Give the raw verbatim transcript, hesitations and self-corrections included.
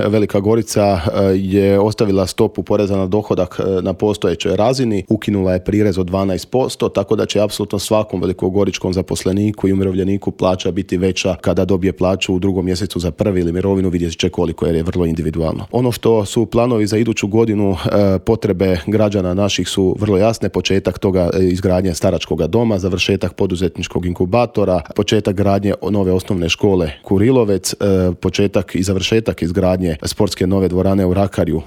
Velika Gorica je ostavila stopu poreza na dohodak na postojećoj razini, ukinula je prirez od dvanaest posto, tako da će apsolutno svakom velikogoričkom zaposleniku i umirovljeniku plaća biti veća kada dobije plaću u drugom mjesecu za prvi ili mirovinu, vidjet će koliko, jer je vrlo individualno. Ono što su planovi za iduću godinu, potrebe građana naših su vrlo jasne, početak toga izgradnje staračkog doma, završetak poduzetničkog inkubatora, početak gradnje nove osnovne škole Kurilovec, početak i završetak izgradnje sportske nove dvorane u Rakarju